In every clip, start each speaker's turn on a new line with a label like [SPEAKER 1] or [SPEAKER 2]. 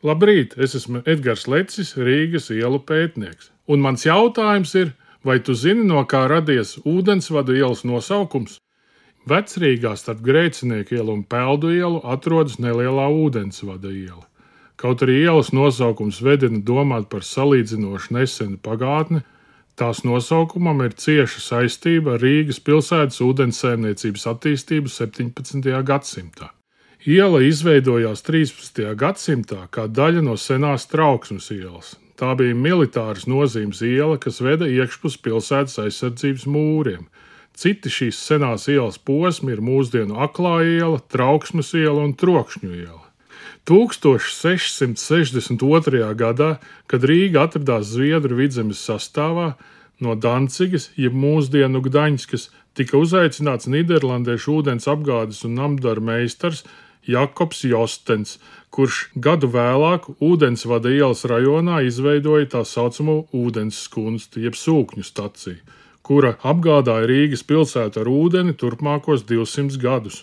[SPEAKER 1] Labrīt, es esmu Edgars Lecis, Rīgas ielu pētnieks. Un mans jautājums ir, vai tu zini, no kā radies Ūdensvada ielas nosaukums? Vecrīgā starp Grēcinieku ielu un Peldu ielu atrodas nelielā Ūdensvada iela. Kaut arī ielas nosaukums vedina domāt par salīdzinoši nesenu pagātni, tās nosaukumam ir cieša saistība ar Rīgas pilsētas ūdenssaimniecības attīstību 17. gadsimtā. Iela izveidojās 13. gadsimtā kā daļa no senās Trauksmes ielas. Tā bija militāras nozīmes iela, kas veda iekšpus pilsētas aizsardzības mūriem. Citi šīs senās ielas posmi ir mūsdienu Aklā iela, Trauksmes iela un Trokšņu iela. 1662. gadā, kad Rīga atradās Zviedru vidzemes sastāvā, no Dancigas, jeb mūsdienu Gdaņskas, tika uzaicināts nīderlandiešu ūdens apgādes un namdaru meistars Jakobs Jostens, kurš gadu vēlāk Ūdensvada ielas rajonā izveidoja tā saucamo ūdensskunsti, jeb sūkņu staciju, kura apgādāja Rīgas pilsētu ar ūdeni turpmākos 200 gadus.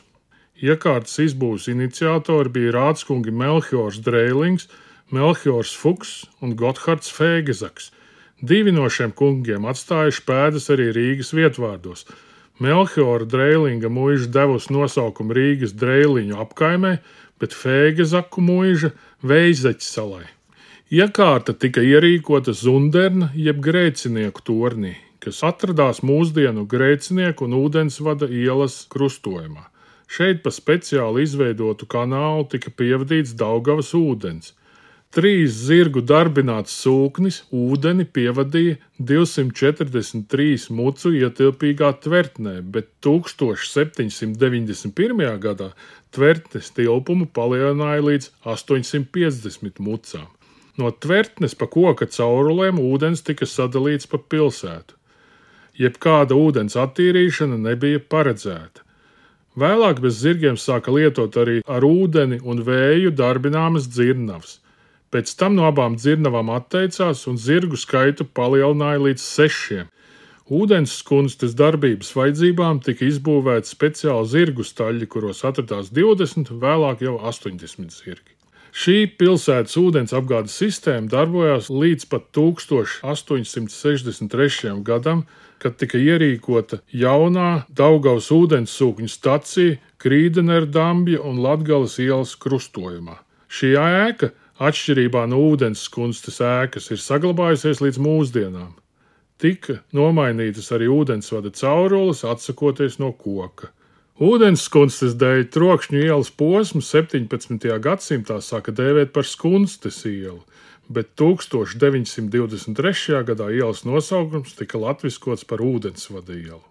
[SPEAKER 1] Iekārtas izbūves iniciatori bija rādskungi Melchiors Dreilings, Melchiors Fuks un Gothards Fēgezaks. Divi no šiem kungiem atstājuši pēdas arī Rīgas vietvārdos. Melchiora Dreilinga muiža devusi nosaukumu Rīgas Dreiliņu apkaimē, bet Fēgezaku muiža Veizeķu salai. Iekārta tika ierīkota Zunderna jeb Grēcinieku tornī, kas atradās mūsdienu Grēcinieku un Ūdensvada ielas krustojumā. Šeit pa speciāli izveidotu kanālu tika pievadīts Daugavas ūdens. 3 zirgu darbināts sūknis ūdeni pievadīja 243 mucu ietilpīgā tvertnē, bet 1791. gadā tvertnes tilpumu palielināja līdz 850 mucām. No tvertnes pa koka caurulēm ūdens tika sadalīts pa pilsētu. Jebkāda ūdens attīrīšana nebija paredzēta. Vēlāk bez zirgiem sāka lietot arī ar ūdeni un vēju darbināmas dzirnavas. Pēc tam no abām dzirnavām atteicās un zirgu skaitu palielināja līdz 6. Ūdenskunstes darbības vajadzībām tika izbūvēti speciāli zirgu staļļi, kuros atradās 20, vēlāk jau 80 zirgi. Šī pilsētas ūdens apgādes sistēma darbojās līdz pat 1863. gadam, kad tika ierīkota jaunā Daugavas ūdenssūkņu stacija Krīdenerdambja un Latgales ielas krustojumā. Šī ēka, atšķirībā no ūdenskunstes ēkas, ir saglabājusies līdz mūsdienām. Tika nomainītas arī Ūdensvada caurules, atsakoties no koka. Ūdenskunstes dēļ Trokšņu ielas posmu 17. gadsimtā sāka dēvēt par Skunstes ielu, bet 1923. gadā ielas nosaukums tika latviskots par Ūdensvada ielu.